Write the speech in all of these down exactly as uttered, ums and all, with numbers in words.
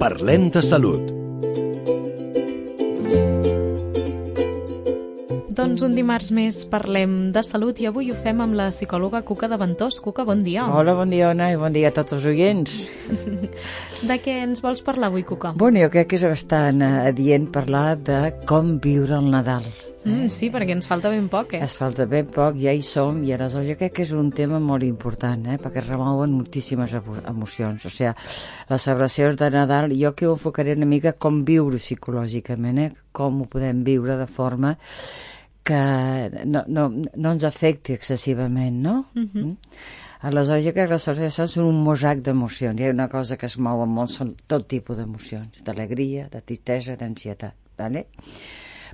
Parlem de salut. Doncs un dimarts més parlem de salut i avui ho fem amb la psicòloga Cuca de Ventós. Cuca, bon dia. Hola, bon dia, Ona, i bon dia a tots els oients. De què ens vols parlar avui, Cuca? Bueno, jo crec que és bastant adient parlar de com viure el Nadal. Mm, sí, perquè ens falta ben poc, eh? Es falta ben poc, ja hi som, i aleshores jo crec que és un tema molt important, eh? Perquè remouen moltíssimes emocions. O sigui, les celebracions de Nadal, jo que ho enfocaré una mica com viure psicològicament, eh? Com ho podem viure de forma que no, no, no ens afecti excessivament, no? Uh-huh. Mm? Aleshores, jo crec que les celebracions són un mosaic d'emocions. Hi ha una cosa que es mou molt, són tot tipus d'emocions, d'alegria, de tristesa, d'ansietat, d'acord?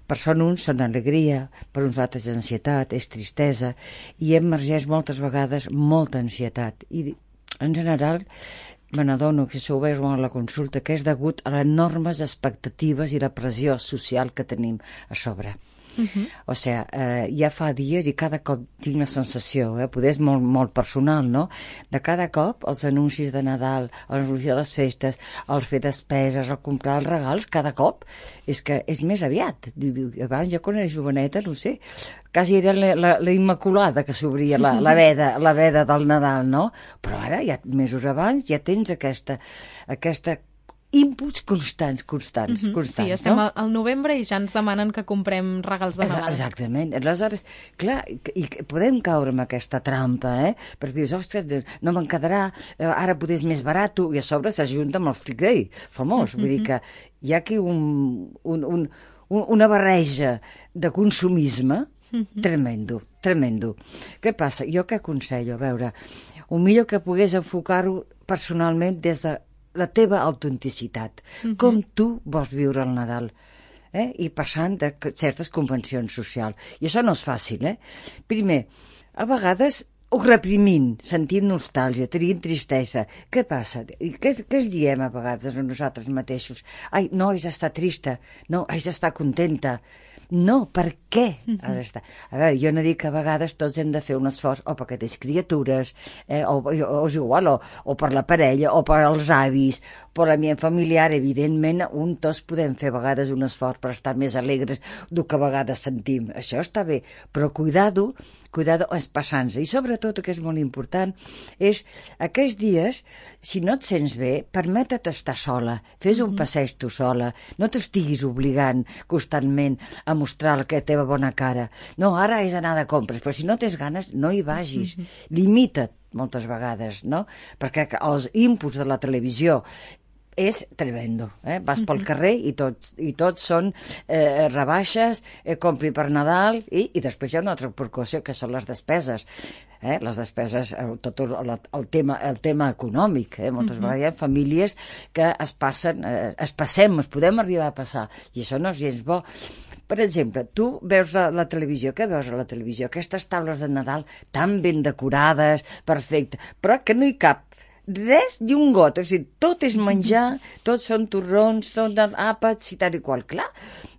Per són uns són alegria, per uns altres ansietat, és tristesa, i emergeix moltes vegades molta ansietat. I en general me n'adono que si ho veus a la consulta que és degut a les enormes expectatives i la pressió social que tenim a sobre. Uh-huh. O sigui, eh, ja fa dies i cada cop tinc la sensació, eh, poder és molt, molt personal, no? De cada cop els anuncis de Nadal, els anuncis de les festes, el fer despeses, el comprar els regals, cada cop és que és més aviat. Abans jo quan era joveneta, no sé, quasi era la, la, la Immaculada que s'obria la, la, veda, la veda del Nadal, no? Però ara, ja mesos abans, ja tens aquesta, aquesta inputs constants, constants, uh-huh. constants. Sí, estem no? al novembre i ja ens demanen que comprem regals de Nadal. Exactament. Aleshores, clar, i podem caure en aquesta trampa, eh? Perquè dius, ostres, no me'n quedarà, ara potser és més barat, i a sobre s'ajunta amb el Freak Day famós. Uh-huh. Vull dir que hi ha aquí un, un, un, un, una barreja de consumisme uh-huh. tremendo, tremendo. Què passa? Jo què aconsello? A veure, el millor que pogués enfocar-ho personalment des de la teva autenticitat, uh-huh. com tu vols viure el Nadal, eh? I passant de certes convencions socials. I això no és fàcil, eh? Primer, a vegades ho reprimint, sentint nostàlgia, tenint tristesa. Què passa? Què, què es diem a vegades a nosaltres mateixos? Ai, no, haig d'estar trista, no, haig d'estar contenta. No, per què? Uh-huh. A veure, jo no dic que a vegades tots hem de fer un esforç o perquè tens criatures, eh, o, o, o és igual, o, o per la parella, o per als avis, per l'ambient familiar, evidentment, un tots podem fer a vegades un esforç per estar més alegres del que a vegades sentim. Això està bé, però cuidado, cuidado és passant-se. I sobretot, el que és molt important, és aquests dies, si no et sents bé, permeta't estar sola, fes un passeig tu sola, no t'estiguis obligant constantment a mostrar la teva bona cara. No, ara has d'anar de compres, però si no tens ganes, no hi vagis. Limita't moltes vegades, no? Perquè els inputs de la televisió és tremendo, eh? Vas pel carrer i tots, i tots són eh, rebaixes, eh, compri per Nadal, i, i després hi ha una altra preocupació, que són les despeses. Eh? Les despeses, tot el, el, tema, el tema econòmic. Eh? Moltes uh-huh. vegades hi ha famílies que es passen, eh, es passem, es podem arribar a passar, i això no és gens bo. Per exemple, tu veus la, la televisió, què veus a la televisió? Aquestes taules de Nadal tan ben decorades, perfecte, però que no hi cap res ni un got, o sigui, tot és menjar, tots són torrons, són àpats i tal i qual. Clar,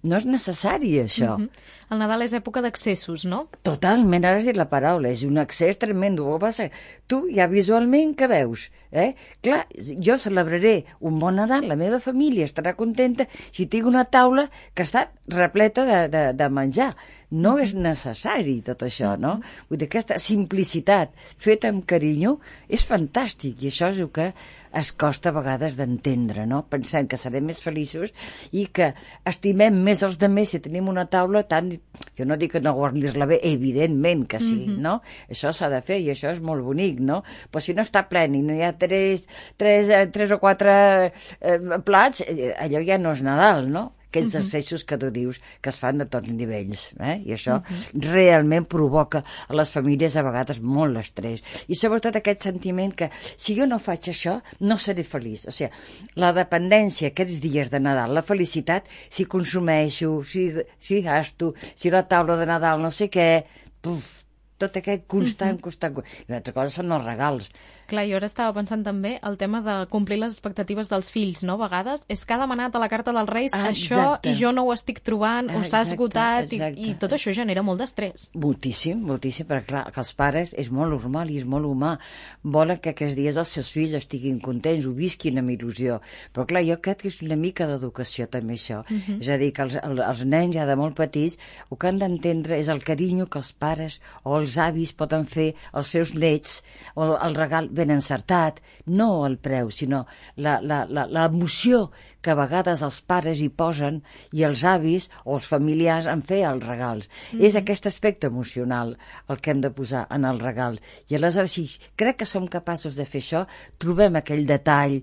no és necessari això. Uh-huh. El Nadal és època d'accessos, no? Totalment, ara has dit la paraula, és un accés tremendo. Què passa? Tu ja visualment què veus? Eh? Clar, jo celebraré un bon Nadal, la meva família estarà contenta si tinc una taula que està repleta de, de, de menjar. No és necessari tot això, no? Vull dir, aquesta simplicitat feta amb carinyo és fantàstic, i això és el que es costa a vegades d'entendre, no? Pensem que serem més feliços i que estimem més els altres si tenim una taula tan... Jo no dic que no guardir-la bé, evidentment que sí, mm-hmm. no? Això s'ha de fer i això és molt bonic, no? Però si no està plen i no hi ha tres, tres, tres o quatre eh, plats, allò ja no és Nadal, no? Aquells uh-huh. accessos que tu dius que es fan de tots nivells, eh? I això uh-huh. realment provoca a les famílies a vegades molt l'estrès. I sobretot aquest sentiment que si jo no faig això, no seré feliç. O sigui, la dependència aquests dies de Nadal, la felicitat, si consumeixo, si, si gasto, si la taula de Nadal no sé què, puf, tot aquest constant, uh-huh. constant... I una altra cosa són els regals. Clar, jo ara estava pensant també el tema de complir les expectatives dels fills, no? A vegades és que ha demanat a la carta dels Reis ah, això i jo no ho estic trobant, o s'ha esgotat, i, i tot això genera molt d'estrès. Moltíssim, moltíssim, perquè clar, que els pares és molt normal i és molt humà. Volen que aquests dies els seus fills estiguin contents, ho visquin amb il·lusió. Però clar, jo crec que és una mica d'educació també això. Uh -huh. És a dir, que els, els nens ja de molt petits el que han d'entendre és el carinyo que els pares o els avis poden fer als seus nets, o el regal ben encertat, no el preu, sinó l'emoció que a vegades els pares hi posen i els avis o els familiars en fer els regals. Mm-hmm. És aquest aspecte emocional el que hem de posar en el regal. I aleshores, si crec que som capaços de fer això, trobem aquell detall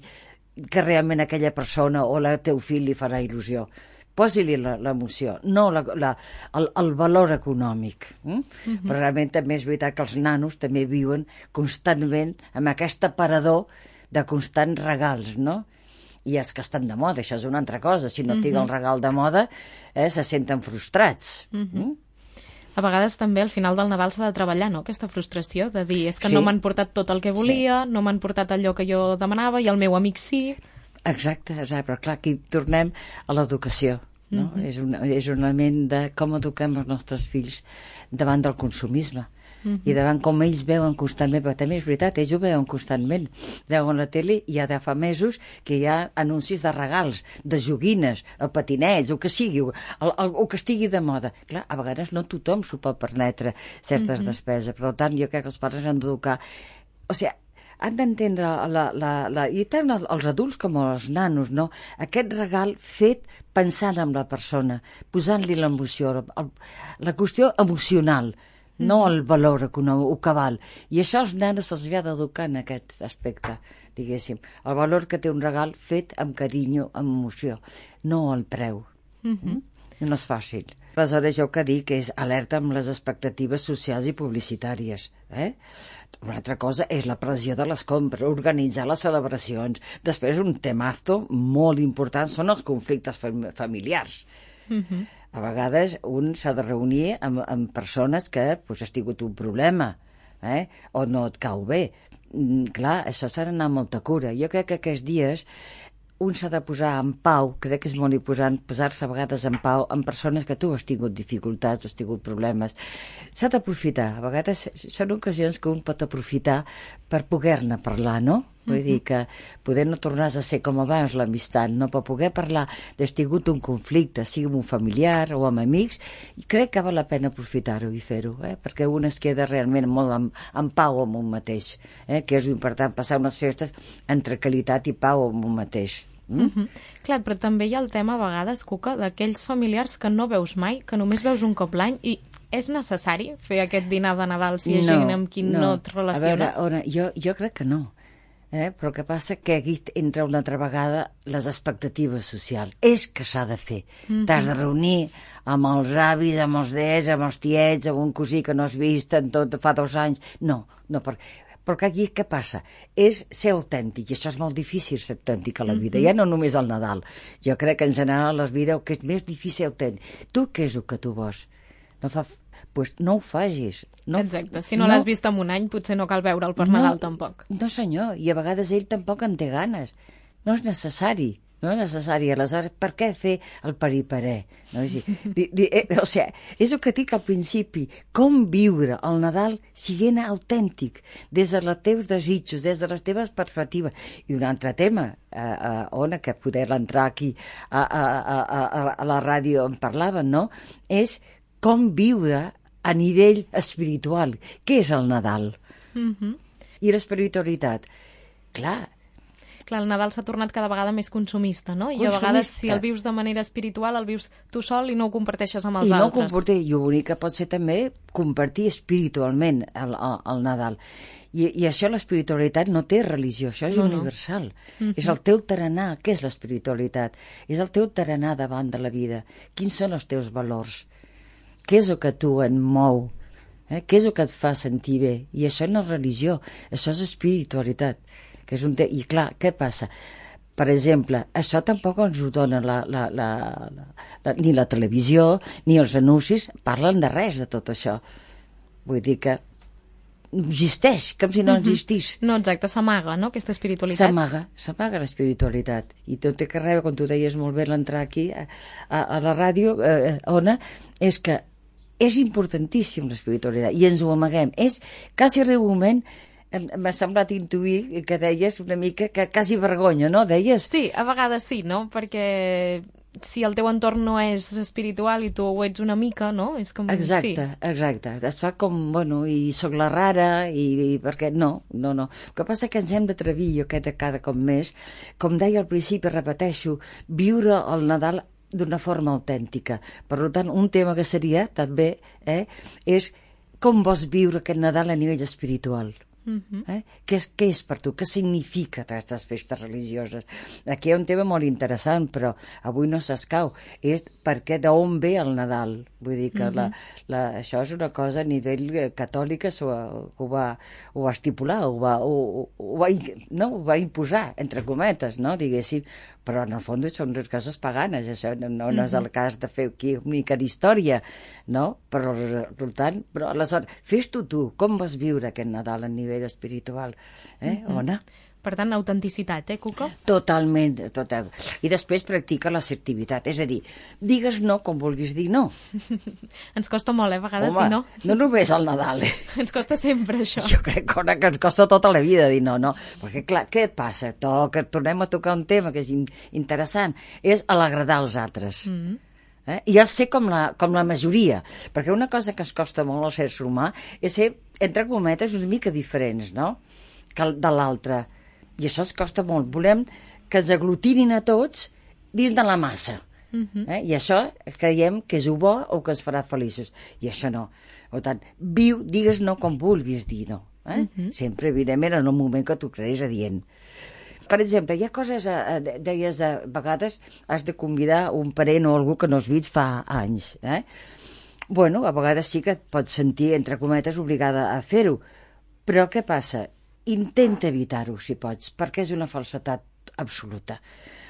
que realment aquella persona o el teu fill li farà il·lusió. Posi-li l'emoció, no la, la, el, el valor econòmic. Mm? Mm-hmm. Però realment també és veritat que els nanos també viuen constantment amb aquest aparador de constants regals, no? I els que estan de moda, això és una altra cosa. Si no mm-hmm. tinc el regal de moda, eh, se senten frustrats. Mm-hmm. Mm? A vegades també al final del Nadal s'ha de treballar, no?, aquesta frustració de dir és que sí. no m'han portat tot el que volia, sí. no m'han portat allò que jo demanava i el meu amic sí... Exacte, exacte, però clar, aquí tornem a l'educació, no? Mm-hmm. és, un, és un element de com eduquem els nostres fills davant del consumisme mm-hmm. i davant com ells veuen constantment, però també és veritat, ells ho veuen constantment, veuen la tele i ja de fa mesos que hi ha anuncis de regals, de joguines, patinets, o que sigui, o, el, el, o que estigui de moda. Clar, a vegades no tothom s'ho pot permetre certes mm-hmm. despeses, per tant jo crec que els pares han d'educar, o sigui, han d'entendre la, la, la, i tant els adults com els nanos, no? Aquest regal fet pensant en la persona, posant-li l'emoció, el, la qüestió emocional, mm-hmm. no el valor econòmic, o que val. I això als nanos se'ls havia d'educar en aquest aspecte, diguéssim. El valor que té un regal fet amb carinyo, amb emoció, no el preu. Mm-hmm. No és fàcil. Aleshores, jo que dic és alerta amb les expectatives socials i publicitàries. Eh? Una altra cosa és la pressió de les compres, organitzar les celebracions. Després, un temazo molt important són els conflictes fam familiars. Mm-hmm. A vegades un s'ha de reunir amb, amb persones que pues, has tingut un problema, eh? o no et cau bé. Mm, clar, això s'ha d'anar amb molta cura. Jo crec que aquests dies un s'ha de posar en pau, crec que és molt important posar-se a vegades en pau amb persones que tu has tingut dificultats, has tingut problemes. S'ha d'aprofitar, a vegades són ocasions que un pot aprofitar per poder-ne parlar, no? Vull dir que poder no tornar a ser com abans l'amistat, no? Per poder parlar d'haver tingut un conflicte, sigui amb un familiar o amb amics, i crec que val la pena aprofitar-ho i fer-ho, eh? Perquè un es queda realment molt en, en pau amb un mateix, eh? Que és important passar unes festes en tranquil·litat i pau amb un mateix. Mm? Mm-hmm. Clar, però també hi ha el tema a vegades, Cuca, d'aquells familiars que no veus mai, que només veus un cop l'any i és necessari fer aquest dinar de Nadal si hi ha no, gent amb qui no, no et relaciones? A veure, jo, jo crec que no. Eh? Però el que passa que aquí entra una altra vegada les expectatives socials. És que s'ha de fer. Mm-hmm. T'has de reunir amb els avis, amb els nets, amb els tiets, amb un cosí que no has vist en tot fa dos anys. No, no, perquè... Però aquí què passa? És ser autèntic, i això és molt difícil ser autèntic a la vida, mm-hmm. ja no només al Nadal. Jo crec que en general a la vida el que és més difícil ser autèntic. Tu què és el que tu vols? No, fa... pues no ho facis. No... Exacte, si no, no... l'has vist en un any potser no cal veure'l per no, Nadal tampoc. No senyor, i a vegades ell tampoc en té ganes. No és necessari. No és necessari. Aleshores, per què fer el periparé? No? Di, di, eh, o sigui, és el que dic al principi. Com viure el Nadal siguent autèntic, des dels teus desitjos, des de les teves perspectives. I un altre tema, eh, eh, Ona, que poder entrar aquí a, a, a, a, a la ràdio en parlaven, no? És com viure a nivell espiritual. Què és el Nadal? Mm-hmm. I l'espiritualitat? Clar, Clar, el Nadal s'ha tornat cada vegada més consumista, no? I consumista. A vegades, si el vius de manera espiritual, el vius tu sol i no ho comparteixes amb els I altres. I no ho compartir, i bonic que pot ser també compartir espiritualment el, el, el Nadal. I, I això, l'espiritualitat, no té religió, això és no, universal. No. Mm-hmm. És el teu tarannà. Què és l'espiritualitat? És el teu tarannà davant de la vida. Quins són els teus valors? Què és el que tu et mou? Eh? Què és el que et fa sentir bé? I això no és religió, això és espiritualitat. Que és un te... I clar, què passa? Per exemple, això tampoc ens ho dona la, la, la, la, la, ni la televisió, ni els anuncis, parlen de res de tot això. Vull dir que existeix, com si no existís. No, exacte, s'amaga, no?, aquesta espiritualitat. S'amaga, s'amaga l'espiritualitat. I tot té que rebre, com tu deies molt bé l'entrar aquí a, a, a la ràdio, eh, Ona, és que és importantíssim l'espiritualitat i ens ho amaguem. És quasi arriba un moment, m'ha semblat intuir que deies una mica que quasi vergonya, no? Deies? Sí, a vegades sí, no? Perquè si el teu entorn no és espiritual i tu ho ets una mica, no? És com... Exacte, sí. exacte. Es fa com, bueno, i sóc la rara, i, i perquè no, no, no. El que passa que ens hem d'atrevir, jo cada, cada cop més, com deia al principi, repeteixo, viure el Nadal d'una forma autèntica. Per tant, un tema que seria, també, eh, és com vols viure aquest Nadal a nivell espiritual. Uh-huh. Eh? Què, és, què és per tu? Què significa aquestes festes religioses? Aquí hi ha un tema molt interessant, però avui no s'escau. És perquè d'on ve el Nadal? Vull dir que uh-huh. la, la, això és una cosa a nivell catòlic, ho, ho, va, ho va estipular, ho va, ho, ho, va, no, ho va imposar, entre cometes, no? Diguéssim, però en el fons són dues coses paganes, això no, no, no és el cas de fer aquí una mica d'història, no? Però, per tant, però aleshores, fes-t'ho tu, com vas viure aquest Nadal a nivell espiritual, eh, mm-hmm. Ona? Per tant, autenticitat, eh, Cuca? Totalment, total. I després practica l'assertivitat, és a dir, digues no com vulguis dir no. Ens costa molt, eh, a vegades Home, dir no. no només al Nadal. Eh? Ens costa sempre, això. Jo crec que, que ens costa tota la vida dir no, no. Perquè, clar, què passa? Toca, tornem a tocar un tema que és in, interessant, és a l'agradar als altres. Mm-hmm. Eh? I el ser com la, com la majoria, perquè una cosa que ens costa molt al ser humà és ser, entre cometes, una mica diferents, no?, que de l'altre. I això es costa molt. Volem que ens aglutinin a tots dins de la massa. Uh-huh. Eh? I això creiem que és bo o que ens farà feliços. I això no. Per tant, viu, digues no com vulguis dir no. Eh? Uh-huh. Sempre, evidentment, en un moment que tu creguis adient. Per exemple, hi ha coses, eh, deies, a vegades has de convidar un parent o algú que no has vist fa anys. Eh? Bueno, a vegades sí que et pots sentir, entre cometes, obligada a fer-ho. Però què passa? Intenta evitar-ho, si pots, perquè és una falsedat absoluta.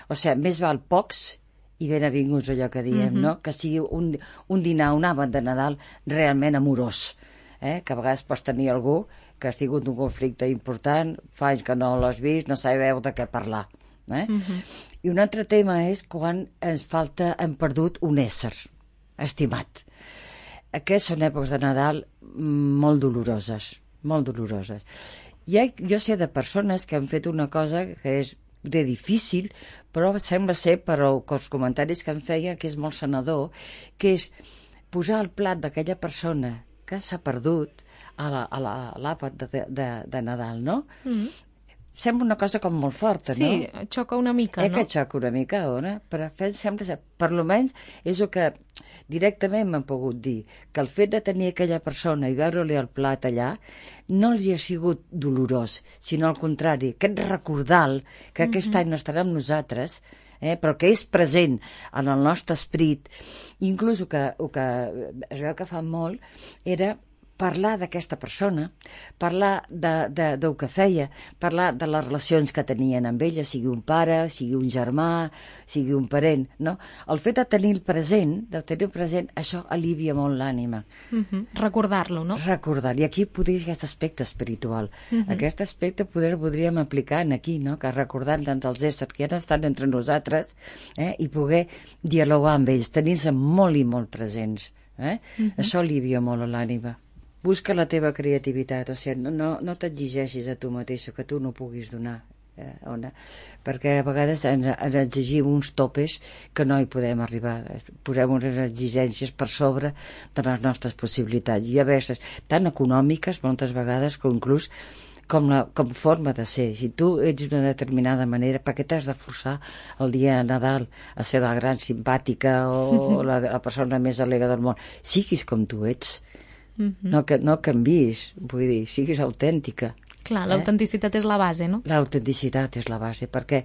O sigui, més val pocs i ben avinguts, allò que diem, mm-hmm. no? Que sigui un, un dinar, un àpat de Nadal realment amorós, eh? Que a vegades pots tenir algú que has tingut un conflicte important, fa anys que no l'has vist, no sabeu de què parlar. Eh? Mm-hmm. I un altre tema és quan ens falta, hem perdut un ésser estimat. Aquestes són èpoques de Nadal molt doloroses, molt doloroses. Ja, jo sé de persones que han fet una cosa que és de difícil, però sembla ser, per els comentaris que em feia, que és molt sanador, que és posar el plat d'aquella persona que s'ha perdut a l'àpat de, de, de Nadal, no? Mm-hmm. Sembla una cosa com molt forta, sí, no? Sí, xoca una mica, eh, no? Que xoca una mica, Ona, però sembla ser, per almenys és el que directament m'han pogut dir, que el fet de tenir aquella persona i veure-li el plat allà no els hi ha sigut dolorós, sinó al contrari, aquest recordar que mm-hmm. aquest any no estarà amb nosaltres, eh, però que és present en el nostre esperit. Inclús el que, el que es veu que fa molt era parlar d'aquesta persona, parlar de, de, del que feia, parlar de les relacions que tenien amb ella, sigui un pare, sigui un germà, sigui un parent, no? El fet de tenir el present, de tenir el present, això alivia molt l'ànima. Uh-huh. Recordar-lo, no? Recordar, i aquí podria aquest aspecte espiritual. Uh-huh. Aquest aspecte poder, podríem aplicar en aquí, no? Que recordant tant els éssers que ja estan entre nosaltres, eh? I poder dialogar amb ells, tenir-se molt i molt presents. Eh? Uh-huh. Això alivia molt l'ànima. Busca la teva creativitat, o sigui, no, no, no t'exigeixis a tu mateix que tu no puguis donar, eh, Ona, perquè a vegades ens, ens exigim uns topes que no hi podem arribar, posem unes exigències per sobre de les nostres possibilitats, i a vegades tan econòmiques moltes vegades que inclús com, la, com forma de ser. Si tu ets d'una determinada manera, per què t'has de forçar el dia de Nadal a ser la gran simpàtica o la, la persona més alegre del món? Siguis com tu ets. Mm-hmm. No, que, no canvis, vull dir, siguis autèntica. Clar, eh? L'autenticitat és la base, no? L'autenticitat és la base, perquè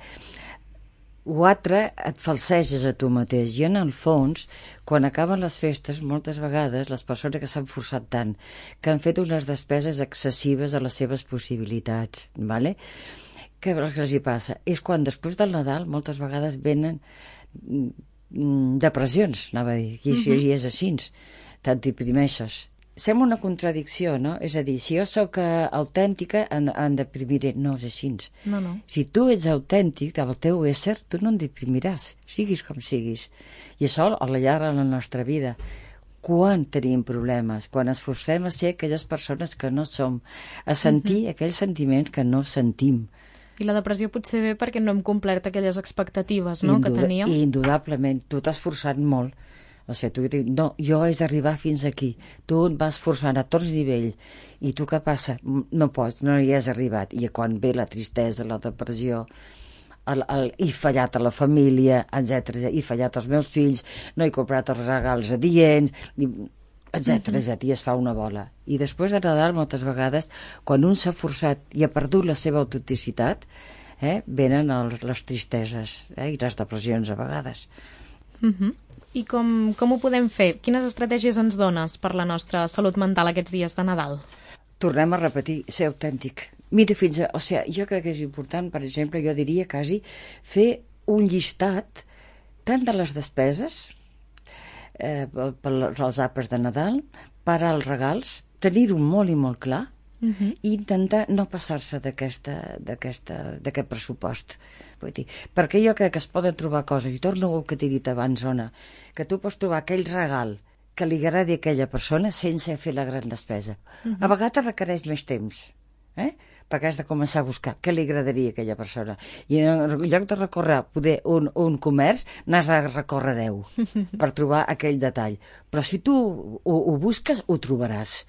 o altre et falseges a tu mateix, i en el fons, quan acaben les festes, moltes vegades les persones que s'han forçat tant, que han fet unes despeses excessives a les seves possibilitats, vale? Què els hi passa? És quan després del Nadal moltes vegades venen depressions, anava a dir, i, mm-hmm. i és així, te'n deprimeixes. sembla una contradicció, no? És a dir, si jo sóc uh, autèntica, em, em deprimiré. No és així. No, no. Si tu ets autèntic del teu ésser, tu no en deprimiràs, siguis com siguis. I això al llarg de la nostra vida. Quan tenim problemes? Quan ens forcem a ser aquelles persones que no som, a sentir uh-huh. aquells sentiments que no sentim. I la depressió potser ve perquè no hem complert aquelles expectatives, no?, Induda- que teníem. Indudablement, tu t'has forçat molt. O sigui, tu dius, no, jo he d'arribar fins aquí. Tu et vas forçant a tots nivells. I tu què passa? No pots, no hi has arribat. I quan ve la tristesa, la depressió, el, el, he fallat a la família, etcètera, he fallat als meus fills, no he comprat els regals adients, etcètera, uh-huh. etcètera, i es fa una bola. I després de Nadal, moltes vegades, quan un s'ha forçat i ha perdut la seva autenticitat, eh, venen els, les tristeses eh, i les depressions a vegades. Uh-huh. I com, com ho podem fer? Quines estratègies ens dones per la nostra salut mental aquests dies de Nadal? Tornem a repetir, ser autèntic. Mira, fins a... O sigui, jo crec que és important, per exemple, jo diria quasi fer un llistat tant de les despeses eh, per als àpats de Nadal, per als regals, tenir-ho molt i molt clar, uh-huh. i intentar no passar-se d'aquesta, d'aquesta, d'aquest pressupost. Vull dir, perquè jo crec que es poden trobar coses, i torno al que t'he dit abans, Ona, que tu pots trobar aquell regal que li agradi a aquella persona sense fer la gran despesa. Uh-huh. A vegades requereix més temps, eh? perquè has de començar a buscar què li agradaria a aquella persona. I en lloc de recórrer poder un, un comerç, n'has de recórrer deu per trobar aquell detall. Però si tu ho, ho busques, ho trobaràs.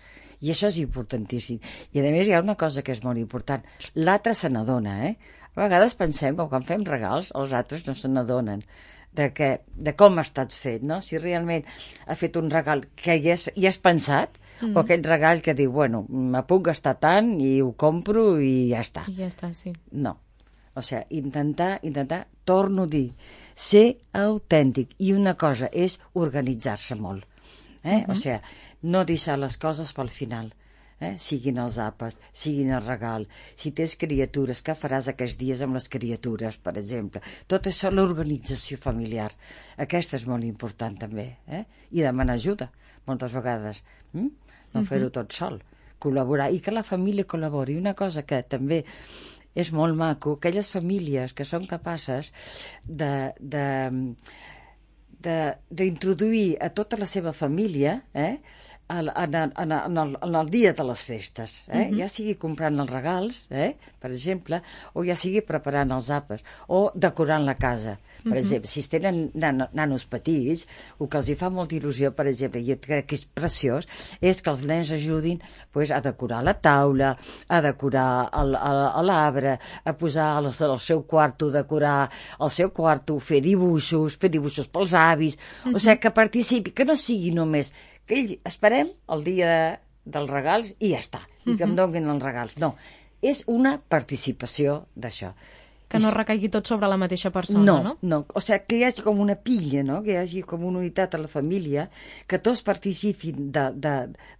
I això és importantíssim. I a més hi ha una cosa que és molt important. L'altre se n'adona, eh? A vegades pensem que quan fem regals els altres no se n'adonen de, que, de com ha estat fet, no? Si realment ha fet un regal que hi has, hi has pensat, mm. o aquell regal que diu, bueno, me puc gastar tant i ho compro i ja està. I ja està, sí. No. O sigui, intentar, intentar, torno a dir, ser autèntic. I una cosa és organitzar-se molt. Eh? Uh-huh. O sigui, no deixar les coses pel final. Eh? Siguin els àpats, siguin el regal, si tens criatures, què faràs aquests dies amb les criatures, per exemple. Tot això, l'organització familiar, aquesta és molt important també, eh? I demanar ajuda, moltes vegades, hm? no uh-huh. fer-ho tot sol, col·laborar, i que la família col·labori. Una cosa que també és molt maco, aquelles famílies que són capaces de... de d'introduir a tota la seva família eh, en, en, en, en, el, en el dia de les festes, eh? Uh-huh. ja sigui comprant els regals, eh, per exemple, o ja sigui preparant els àpats, o decorant la casa. Per uh-huh. exemple, si es tenen nan nanos petits, el que els hi fa molta il·lusió, per exemple, i jo crec que és preciós, és que els nens ajudin pues, a decorar la taula, a decorar l'arbre, a posar el, el seu quarto, decorar el seu quarto, fer dibuixos, fer dibuixos pels avis, uh-huh. o sigui, que participi, que no sigui només que ells esperem el dia dels regals i ja està, i que em donin els regals. No, és una participació d'això. Que no recaigui tot sobre la mateixa persona, no? No, no, o sigui, que hi hagi com una pilla, no? Que hi hagi com una unitat a la família, que tots participin de, de,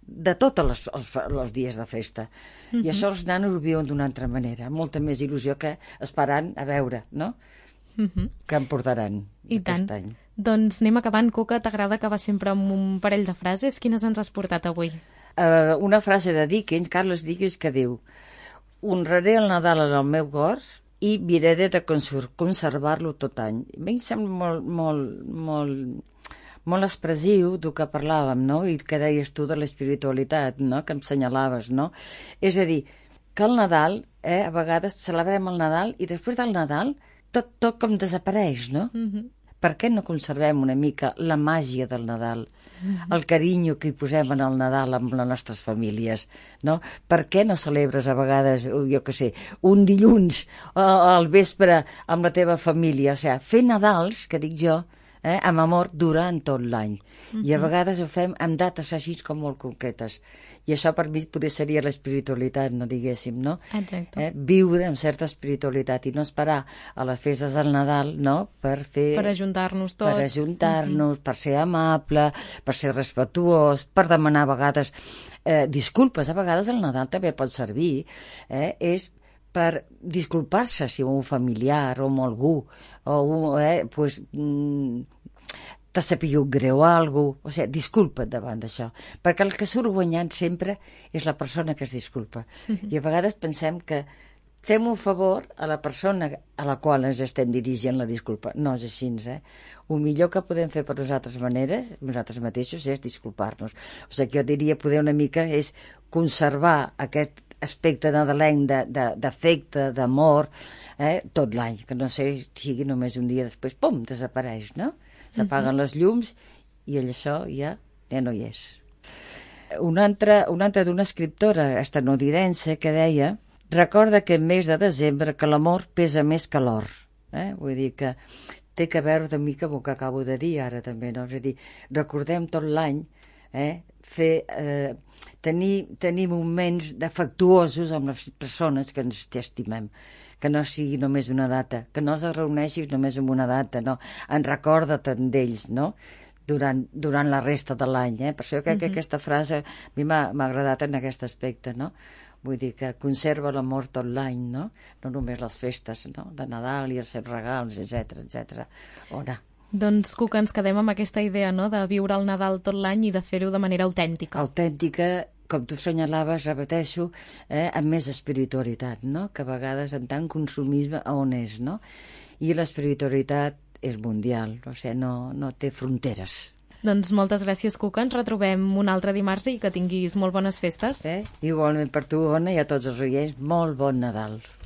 de tots els, els, els dies de festa. Uh-huh. I això els nanos ho viuen d'una altra manera, molta més il·lusió que esperant a veure, no? Uh-huh. Que em portaran I aquest tant. any. Doncs anem acabant. Cuca, t'agrada acabar sempre amb un parell de frases? Quines ens has portat avui? Uh, una frase de Dickens, Carlos Dickens, que diu: honraré el Nadal en el meu cor i miraré de conservar-lo tot any. A mi em sembla molt, molt, molt, molt expressiu del que parlàvem, no? I que deies tu de l'espiritualitat, no? Que em senyalaves, no? És a dir, que el Nadal, eh, a vegades celebrem el Nadal i després del Nadal tot, tot com desapareix, no? Mm-hmm. Per què no conservem una mica la màgia del Nadal, mm-hmm. el carinyo que hi posem en el Nadal amb les nostres famílies, no? Per què no celebres a vegades, jo què sé, un dilluns al vespre amb la teva família? O sigui, fer Nadals, que dic jo, eh, amb amor durant tot l'any. Mm-hmm. I a vegades ho fem amb dates així com molt concretes. I això per mi poder seria l'espiritualitat, no diguéssim, no? Exacte. Eh? Viure amb certa espiritualitat i no esperar a les festes del Nadal, no? Per fer... Per ajuntar-nos tots. Per ajuntar-nos, mm-hmm. per ser amable, per ser respetuós, per demanar a vegades eh, disculpes. A vegades el Nadal també pot servir, eh? És per disculpar-se si un familiar o amb algú, o un, eh, pues, mm, t'ha sapigut greu alguna cosa, o sigui, disculpa't davant d'això, perquè el que surt guanyant sempre és la persona que es disculpa. Mm-hmm. I a vegades pensem que fem un favor a la persona a la qual ens estem dirigint la disculpa. No és així, eh? El millor que podem fer per nosaltres maneres, nosaltres mateixos, és disculpar-nos. O sigui, jo diria, poder una mica és conservar aquest aspecte nadalenc d'afecte, d'amor, eh? Tot l'any, que no sé, sigui només un dia després, pum, desapareix, no? S'apaguen les llums i això ja, ja no hi és. Una altra, una altra d'una escriptora estatunidense que deia: recorda que en mes de desembre que l'amor pesa més que l'or. Eh? Vull dir que té que veure una mica amb el que acabo de dir ara també, no? És a dir, recordem tot l'any, eh? Fer, eh, tenir, tenir moments afectuosos amb les persones que ens estimem, que no sigui només una data, que no es reuneixis només en una data, no? En recorda-te'n d'ells, no? Durant, durant la resta de l'any, eh? Per això crec que aquesta frase a mi m'ha agradat en aquest aspecte, no? Vull dir que conserva l'amor tot l'any, no? No només les festes, no? De Nadal i els fets regals, etcètera, etcètera. Ona. Doncs, Cuca, ens quedem amb aquesta idea, no?, de viure el Nadal tot l'any i de fer-ho de manera autèntica. Autèntica, com tu senyalaves, repeteixo, eh, amb més espiritualitat, no? Que a vegades en tant consumisme on és, no? I l'espiritualitat és mundial, o sigui, no, no té fronteres. Doncs moltes gràcies, Cuca. Ens retrobem un altre dimarts i que tinguis molt bones festes. Eh? Igualment per tu, Ona, i a tots els oients, molt bon Nadal.